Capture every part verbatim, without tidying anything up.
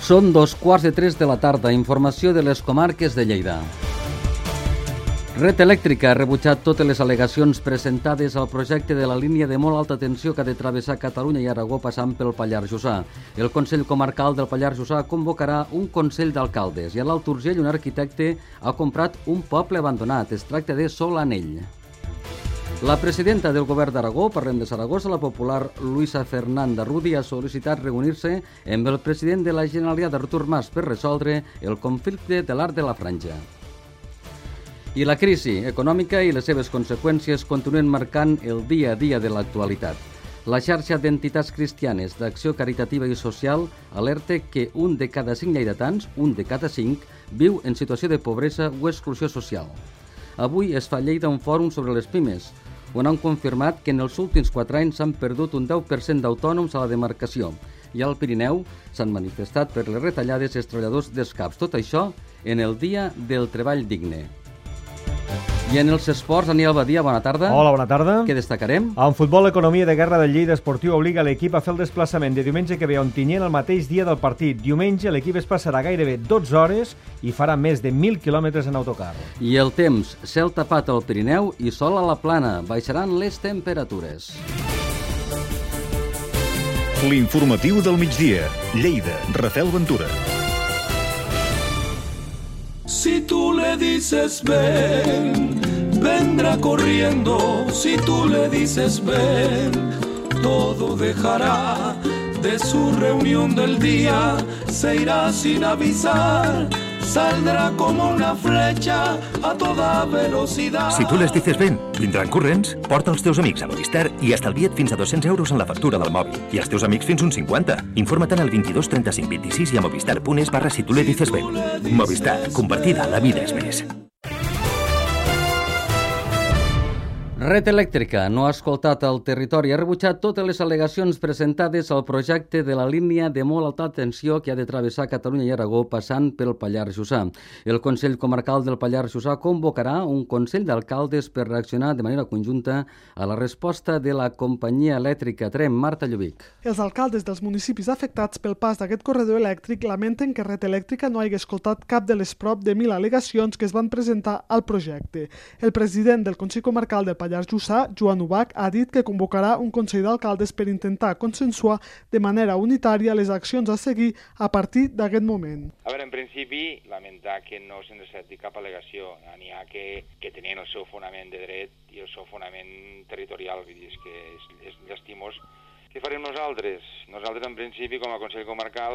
Són dos quarts de tres de la tarda. Informació de les comarques de Lleida. Red Elèctrica ha rebutjat totes les al·legacions presentades al projecte de la línia de molt alta tensió que ha de travessar Catalunya i Aragó passant pel Pallars Jussà. El Consell Comarcal del Pallars Jussà convocarà un Consell d'Alcaldes i a l'Alt Urgell un arquitecte ha comprat un poble abandonat. Es tracta de Solanell. La presidenta del Govern d'Aragó, parlem de Saragossa, la popular Luisa Fernanda Rudi, ha sol·licitat reunir-se amb el president de la Generalitat, Artur Mas, per resoldre el conflicte de l'Arc de la Franja. I la crisi econòmica i les seves conseqüències continuen marcant el dia a dia de l'actualitat. La xarxa d'entitats cristianes d'acció caritativa i social alerta que un de cada cinc lleidatans, un de cada cinc, viu en situació de pobresa o exclusió social. Avui es fa a Lleida un fòrum sobre les pimes, on han confirmat que en els últims quatre anys s'han perdut un deu per cent d'autònoms a la demarcació i al Pirineu s'han manifestat per les retallades dels treballadors dels CAPs. Tot això en el Dia del Treball Digne. I en els esports, Daniel Badia, bona tarda. Hola, bona tarda. Què destacarem? En futbol, l'economia de guerra del Lleida Esportiu obliga l'equip a fer el desplaçament de diumenge que ve a Ontinyent el mateix dia del partit. Diumenge l'equip es passarà gairebé dotze hores i farà més de mil quilòmetres en autocar. I el temps, cel tapat al Pirineu i sol a la Plana. Baixaran les temperatures. L'informatiu del migdia. Lleida, Rafael Ventura. Si tú le dices ven, vendrá corriendo. Si tú le dices ven, todo dejará de su reunión del día. Se irá sin avisar, saldrá como una flecha a toda velocidad. Si tu les dices ven, vindran corrents, porta els teus amics a Movistar i estalvia't fins a dos-cents euros en la factura del mòbil. I els teus amics fins uns cinquanta. Informa't al vint-i-dos trenta-cinc vint-i-sis i a movistar punt es barra si tu le dices ven. Movistar, compartida, la vida és més. Red Elèctrica no ha escoltat el territori, ha rebutjat totes les al·legacions presentades al projecte de la línia de molt alta tensió que ha de travessar Catalunya i Aragó passant pel Pallars Jussà. El Consell Comarcal del Pallars Jussà convocarà un Consell d'Alcaldes per reaccionar de manera conjunta a la resposta de la companyia elèctrica Trem. Marta Lluvic. Els alcaldes dels municipis afectats pel pas d'aquest corredor elèctric lamenten que Red Elèctrica no hagi escoltat cap de les prop de mil al·legacions que es van presentar al projecte. El president del Consell Comarcal del Pallars Jussà, Joan Ubach, ha dit que convocarà un Consell d'Alcaldes per intentar consensuar de manera unitària les accions a seguir a partir d'aquest moment. A veure, en principi, lamentar que no se'n accepti cap al·legació. N'hi ha que, que tenien el seu fonament de dret i el seu fonament territorial. Vull dir, és que és, és llastimós. Què farem nosaltres? Nosaltres, en principi, com a Consell Comarcal,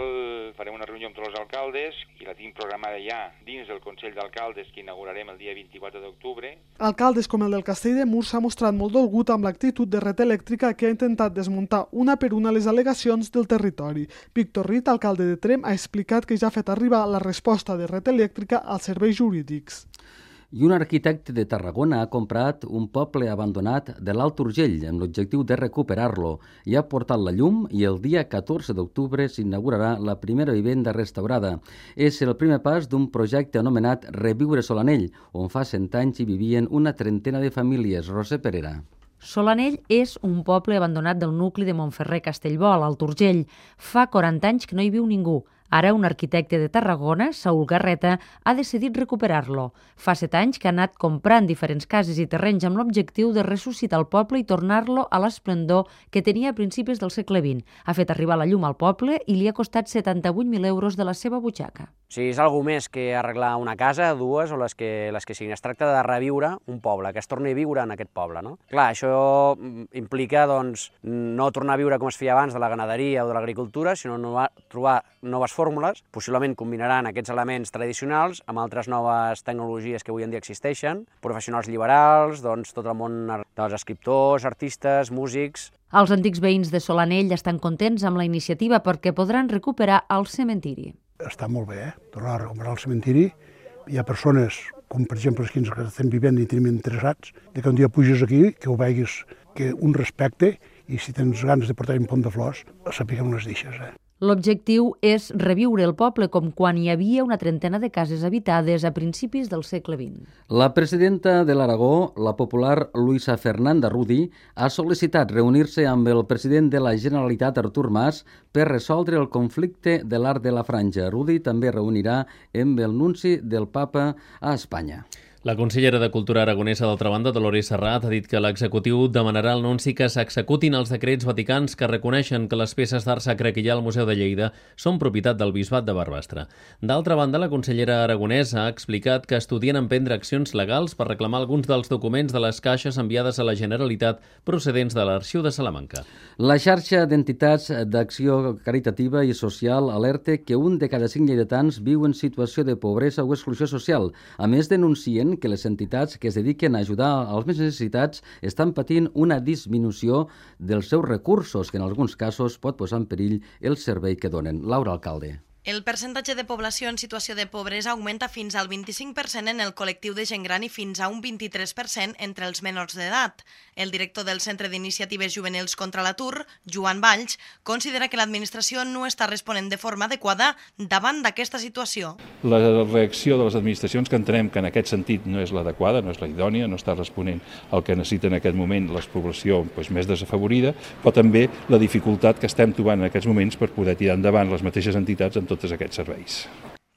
farem una reunió amb tots els alcaldes i la tinc programada ja dins del Consell d'Alcaldes que inaugurarem el dia vint-i-quatre d'octubre. Alcaldes com el del Castell de Mur s'ha mostrat molt dolgut amb l'actitud de Red Elèctrica que ha intentat desmuntar una per una les al·legacions del territori. Víctor Rit, alcalde de Trem, ha explicat que ja ha fet arribar la resposta de Red Elèctrica als serveis jurídics. I un arquitecte de Tarragona ha comprat un poble abandonat de l'Alt Urgell amb l'objectiu de recuperar-lo i ha portat la llum i el dia catorze d'octubre s'inaugurarà la primera vivenda restaurada. És el primer pas d'un projecte anomenat Reviure Solanell, on fa cent anys hi vivien una trentena de famílies. Roser Perera. Solanell és un poble abandonat del nucli de Montferrer-Castellbò, a l'Alt Urgell. Fa quaranta anys que no hi viu ningú. Ara un arquitecte de Tarragona, Saúl Garreta, ha decidit recuperar-lo. Fa set anys que ha anat comprant diferents cases i terrenys amb l'objectiu de ressuscitar el poble i tornar-lo a l'esplendor que tenia a principis del segle vint. Ha fet arribar la llum al poble i li ha costat setanta-vuit mil euros de la seva butxaca. O sigui, és alguna més que arreglar una casa, dues o les que, les que siguin. Es tracta de reviure un poble, que es torni a viure en aquest poble, no? Clar, això implica doncs, no tornar a viure com es feia abans de la ganaderia o de l'agricultura, sinó no trobar noves fórmules, possiblement combinaran aquests elements tradicionals amb altres noves tecnologies que avui en dia existeixen, professionals liberals, doncs tot el món dels escriptors, artistes, músics. Els antics veïns de Solanell estan contents amb la iniciativa perquè podran recuperar el cementiri. Està molt bé, eh? Tornar a recuperar el cementiri. Hi ha persones, com per exemple els que ens estem vivint i tenim interessats, de que un dia puges aquí, que ho veguis, que un respecte, i si tens ganes de portar un pont de flors, sapiguem les deixes, eh? L'objectiu és reviure el poble com quan hi havia una trentena de cases habitades a principis del segle vint. La presidenta de l'Aragó, la popular Luisa Fernanda Rudi, ha sol·licitat reunir-se amb el president de la Generalitat, Artur Mas, per resoldre el conflicte de l'Arc de la Franja. Rudi també reunirà amb el nunci del Papa a Espanya. La consellera de Cultura aragonesa, d'altra banda, Dolores Serrat, ha dit que l'executiu demanarà al nunci que s'executin els decrets vaticans que reconeixen que les peces d'art sacre que hi ha al Museu de Lleida són propietat del Bisbat de Barbastre. D'altra banda, la consellera aragonesa ha explicat que estudien emprendre accions legals per reclamar alguns dels documents de les caixes enviades a la Generalitat procedents de l'Arxiu de Salamanca. La xarxa d'entitats d'acció caritativa i social alerta que un de cada cinc lleidatans viu en situació de pobresa o exclusió social. A més, denuncien que les entitats que es dediquen a ajudar als més necessitats estan patint una disminució dels seus recursos, que en alguns casos pot posar en perill el servei que donen. Laura Alcalde. El percentatge de població en situació de pobresa augmenta fins al vint-i-cinc per cent en el col·lectiu de gent gran i fins a un vint-i-tres per cent entre els menors d'edat. El director del Centre d'Iniciatives Juvenils contra l'Atur, Joan Valls, considera que l'administració no està responent de forma adequada davant d'aquesta situació. La reacció de les administracions, que entenem que en aquest sentit no és l'adequada, no és la idònia, no està responent al que necessita en aquest moment la població doncs, més desafavorida, però també la dificultat que estem trobant en aquests moments per poder tirar endavant les mateixes entitats amb tots aquests serveis.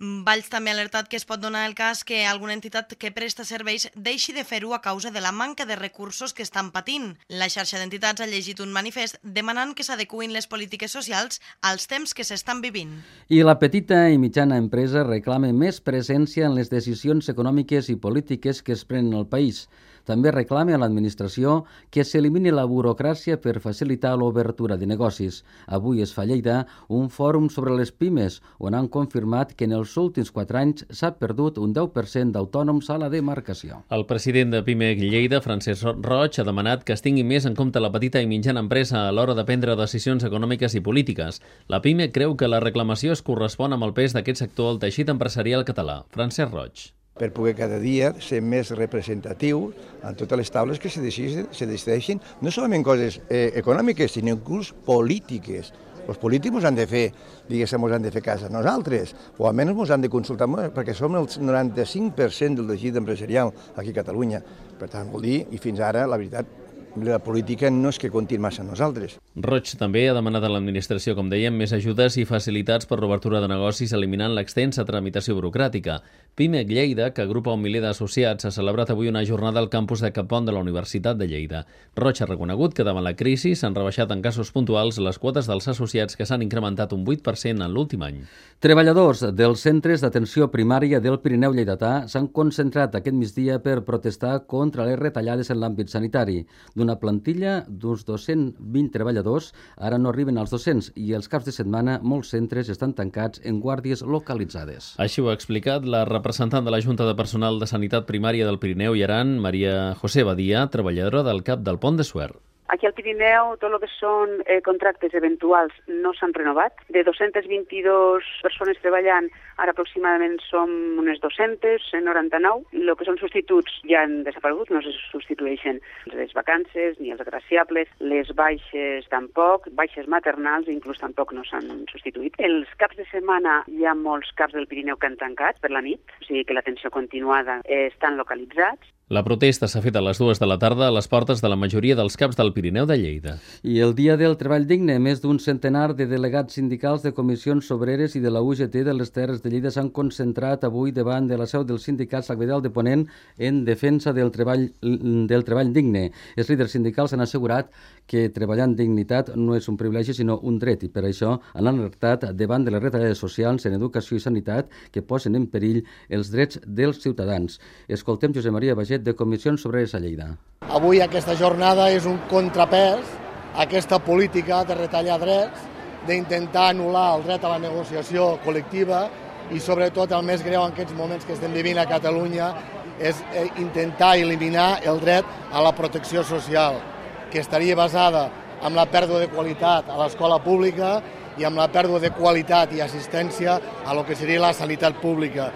Valls també ha alertat que es pot donar el cas que alguna entitat que presta serveis deixi de fer-ho a causa de la manca de recursos que estan patint. La xarxa d'entitats ha llegit un manifest demanant que s'adecuïn les polítiques socials als temps que s'estan vivint. I la petita i mitjana empresa reclama més presència en les decisions econòmiques i polítiques que es prenen al país. També reclama a l'administració que s'elimini la burocràcia per facilitar l'obertura de negocis. Avui es fa a Lleida un fòrum sobre les pimes, on han confirmat que en els últims quatre anys s'ha perdut un deu per cent d'autònoms a la demarcació. El president de Pimec Lleida, Francesc Roig, ha demanat que es tingui més en compte la petita i mitjana empresa a l'hora de prendre decisions econòmiques i polítiques. La Pimec creu que la reclamació es correspon amb el pes d'aquest sector al teixit empresarial català. Francesc Roig. Per poder cada dia ser més representatiu en totes les taules que se decideixin, se decideixin no solament coses eh, econòmiques, sinó inclús polítiques. Els polítics ens han de fer, diguéssim, ens han de fer cas a nosaltres, o almenys ens han de consultar, perquè som el noranta-cinc per cent del teixit empresarial aquí a Catalunya. Per tant, vol dir, i fins ara, la veritat, la política no és que compti massa a nosaltres. Roig també ha demanat a l'administració, com dèiem, més ajudes i facilitats per l'obertura de negocis eliminant l'extensa tramitació burocràtica. Pimec Lleida, que agrupa un miler d'associats, ha celebrat avui una jornada al campus de Capont de la Universitat de Lleida. Roig ha reconegut que davant la crisi s'han rebaixat en casos puntuals les quotes dels associats, que s'han incrementat un vuit per cent en l'últim any. Treballadors dels centres d'atenció primària del Pirineu lleidatà s'han concentrat aquest migdia per protestar contra les retallades en l'àmbit sanitari. D'una plantilla d'uns dos-cents vint treballadors, ara no arriben als dos-cents i els caps de setmana molts centres estan tancats en guàrdies localitzades. Així ho ha explicat la representant de la Junta de Personal de Sanitat Primària del Pirineu i Aran, Maria José Badia, treballadora del CAP del Pont de Suert. Aquí al Pirineu tot el que són eh, contractes eventuals no s'han renovat. De dos-cents vint-i-dues persones treballant, ara aproximadament som unes dos-cents noranta-nou. El que són substituts ja han desaparegut, no se substitueixen les vacances ni els agraciables, les baixes tampoc, baixes maternals inclús tampoc no s'han substituït. Els caps de setmana hi ha molts caps del Pirineu que han tancat per la nit, o sigui que l'atenció continuada eh, estan localitzats. La protesta s'ha fet a les dues de la tarda a les portes de la majoria dels caps del Pirineu de Lleida. I el Dia del Treball Digne, més d'un centenar de delegats sindicals de comissions obreres i de la U G T de les Terres de Lleida s'han concentrat avui davant de la seu del sindicat Sagvedal de Ponent en defensa del treball, del treball digne. Els líders sindicals han assegurat que treballar en dignitat no és un privilegi sinó un dret i per això han alertat davant de les retallades socials en educació i sanitat que posen en perill els drets dels ciutadans. Escoltem Josep Maria Baget de Comissions Obreres a Lleida. Avui aquesta jornada és un contrapès a aquesta política de retallar drets, d'intentar anul·lar el dret a la negociació col·lectiva i sobretot el més greu en aquests moments que estem vivint a Catalunya és intentar eliminar el dret a la protecció social, que estaria basada en la pèrdua de qualitat a l'escola pública i amb la pèrdua de qualitat i assistència a lo que seria la sanitat pública.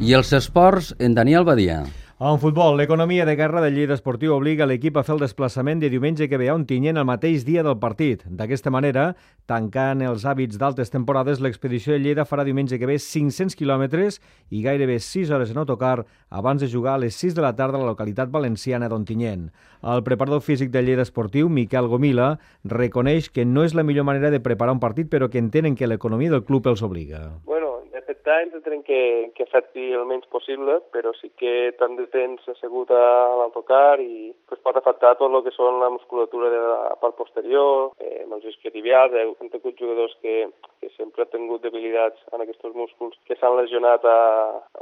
I els esports, en Daniel Badia. En futbol, l'economia de guerra de Lleida Esportiu obliga l'equip a fer el desplaçament de diumenge que ve a Ontinyent el mateix dia del partit. D'aquesta manera, tancant els hàbits d'altes temporades, l'expedició de Lleida farà diumenge que ve cinc-cents quilòmetres i gairebé sis hores en autocar abans de jugar a les sis de la tarda a la localitat valenciana d'Ontinyent. El preparador físic de Lleida Esportiu, Miquel Gomila, reconeix que no és la millor manera de preparar un partit, però que entenen que l'economia del club els obliga. Bueno, afectar ens entenem que, que afecti el menys possible, però sí que tant de temps assegut a l'autocar i pues, pot afectar tot el que són la musculatura de la part posterior, eh, els isquiotibials. Eh, hem tingut jugadors que, que sempre han tingut debilitats en aquests músculs que s'han lesionat a,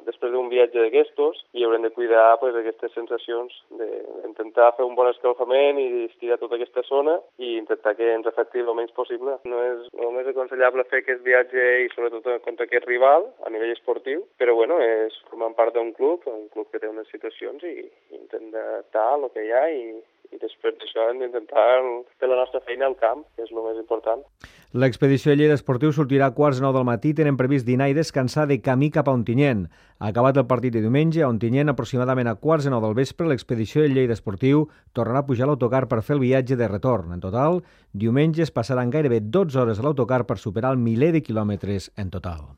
després d'un viatge d'aquestos i haurem de cuidar pues, aquestes sensacions d'intentar fer un bon escalfament i estirar tota aquesta zona i intentar que ens afecti el menys possible. No és el més aconsellable fer aquest viatge i sobretot contra aquest rival a nivell esportiu, però bueno, és formant part d'un club, un club que té unes situacions i, i intentar el que hi ha i, i després d'això hem d'intentar fer la nostra feina al camp, que és el més important. L'expedició de Lleida Esportiu sortirà a quarts de nou del matí, tenen previst dinar i descansar de camí cap a Ontinyent. Acabat el partit de diumenge, a Ontinyent, aproximadament a quarts de nou del vespre, l'expedició de Lleida Esportiu tornarà a pujar a l'autocar per fer el viatge de retorn. En total, diumenge es passaran gairebé dotze hores a l'autocar per superar el miler de quilòmetres en total.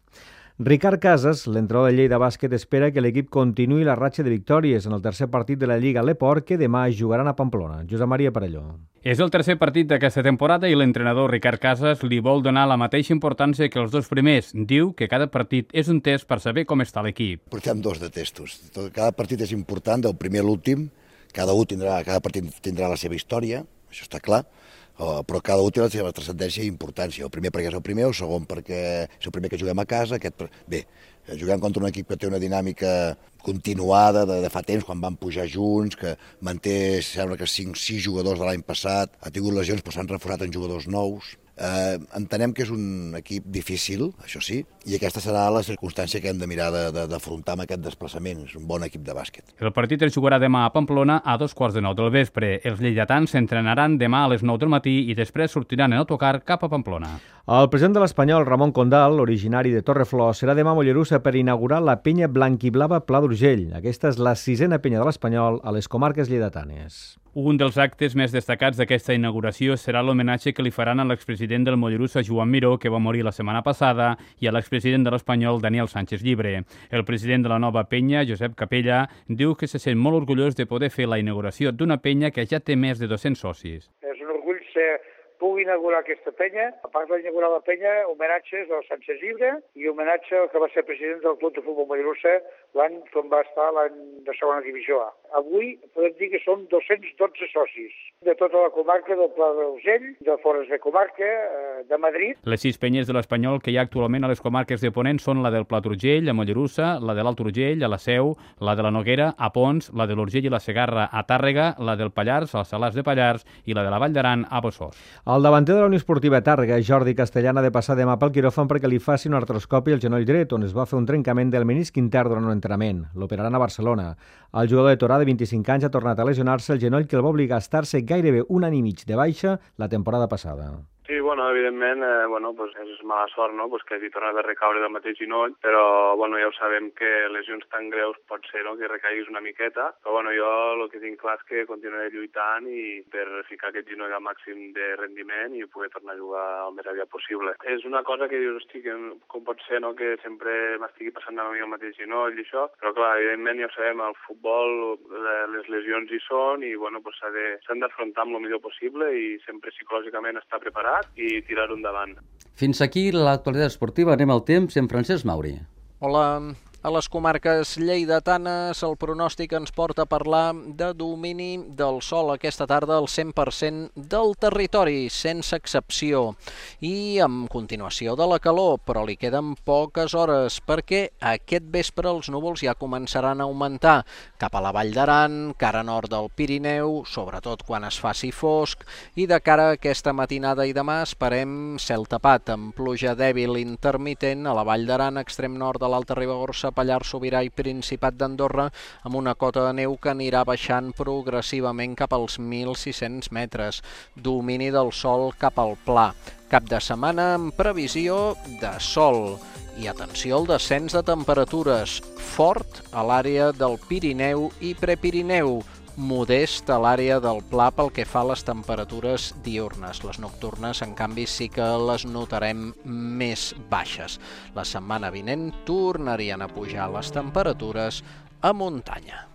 Ricard Casas, l'entrenador de Lleida Bàsquet, espera que l'equip continuï la ratxa de victòries en el tercer partit de la Lliga Leport, que demà jugaran a Pamplona. Josep Maria Parelló. És el tercer partit d'aquesta temporada i l'entrenador Ricard Casas li vol donar la mateixa importància que els dos primers. Diu que cada partit és un test per saber com està l'equip. Portem dos de testos. Cada partit és important, del primer a l'últim. Cada, tindrà, cada partit tindrà la seva història, això està clar. Però cada un té la seva transcendència i importància. El primer perquè és el primer, el segon perquè és el primer que juguem a casa. Aquest... Bé, juguem contra un equip que té una dinàmica continuada de, de fa temps, quan van pujar junts, que manté, sembla que cinc sis jugadors de l'any passat, ha tingut lesions però s'han reforçat en jugadors nous. Eh, entenem que és un equip difícil, això sí, i aquesta serà la circumstància que hem de mirar d'afrontar amb aquest desplaçament. És un bon equip de bàsquet. El partit es jugarà demà a Pamplona a dos quarts de nou del vespre. Els lleidatans s'entrenaran demà a les nou del matí i després sortiran en autocar cap a Pamplona. El president de l'Espanyol, Ramon Condal, originari de Torreflor, serà demà a Mollerussa per inaugurar la penya blanquiblava Pla d'Urgell. Aquesta és la sisena penya de l'Espanyol a les comarques lleidatanes. Un dels actes més destacats d'aquesta inauguració serà l'homenatge que li faran a l'expresident del Mollerussa, Joan Miró, que va morir la setmana passada, i a l'expresident de l'Espanyol, Daniel Sánchez Llibre. El president de la nova penya, Josep Capella, diu que se sent molt orgullós de poder fer la inauguració d'una penya que ja té més de dos-cents socis. És un orgull ser pugui inaugurar aquesta penya. A part d'inaugurar la penya, homenatges al Sánchez Llibre i homenatge al que va ser president del Club de Futbol Mollerussa l'any com va estar l'any de segona divisió A. Avui podem dir que som dos-cents dotze socis de tota la comarca del Pla d'Urgell, de Forres de Comarca, de Madrid. Les sis penyes de l'Espanyol que hi ha actualment a les comarques de Ponent són la del Pla d'Urgell, a Mollerussa, la de l'Alt Urgell, a la Seu, la de la Noguera, a Pons, la de l'Urgell i la Segarra, a Tàrrega, la del Pallars, als Salars de Pallars i la de la Vall d'Aran, a Bossòs. El davanter de la Unió Esportiva Tàrrega, Jordi Castellana, ha de passar demà pel quiròfan perquè li faci un artroscopi al genoll dret, on es va fer un trencament del menisc intern durant un entrenament. L'operaran a Barcelona. El jugador de Torà, de vint-i-cinc anys, ha tornat a lesionar-se el genoll que el va obligar a estar-se gairebé un any i mig de baixa la temporada passada. Sí, bueno, evidentment, eh, bueno, pues és mala sort, no?, pues que hagi tornat a recaure del mateix genoll, però, bueno, ja ho sabem que lesions tan greus pot ser, no?, que recaiguis una miqueta, però, bueno, jo el que tinc clar és que continuaré lluitant i per ficar aquest genoll al màxim de rendiment i poder tornar a jugar el més aviat possible. És una cosa que dius, hosti, que com pot ser, no?, que sempre m'estigui passant a mi el mateix genoll i això, però, clar, evidentment, ja ho sabem, el futbol, les lesions hi són i, bueno, pues s'han d'afrontar amb el millor possible i sempre psicològicament estar preparat i tirar-ho endavant. Fins aquí l'actualitat esportiva. Anem al temps amb Francesc Mauri. Hola. A les comarques lleidatanes el pronòstic ens porta a parlar de domini del sol aquesta tarda al cent per cent del territori, sense excepció. I amb continuació de la calor, però li queden poques hores perquè aquest vespre els núvols ja començaran a augmentar cap a la Vall d'Aran, cara nord del Pirineu, sobretot quan es faci fosc, i de cara a aquesta matinada i demà esperem cel tapat amb pluja dèbil intermitent a la Vall d'Aran, extrem nord de l'Alta Ribagorça, Pallars Sobirà i Principat d'Andorra, amb una cota de neu que anirà baixant progressivament cap als mil sis-cents metres. Domini del sol cap al pla. Cap de setmana amb previsió de sol I atenció al descens de temperatures, fort a l'àrea del Pirineu i Prepirineu, modest a l'àrea del Pla pel que fa a les temperatures diürnes. Les nocturnes, en canvi, sí que les notarem més baixes. La setmana vinent tornarien a pujar les temperatures a muntanya.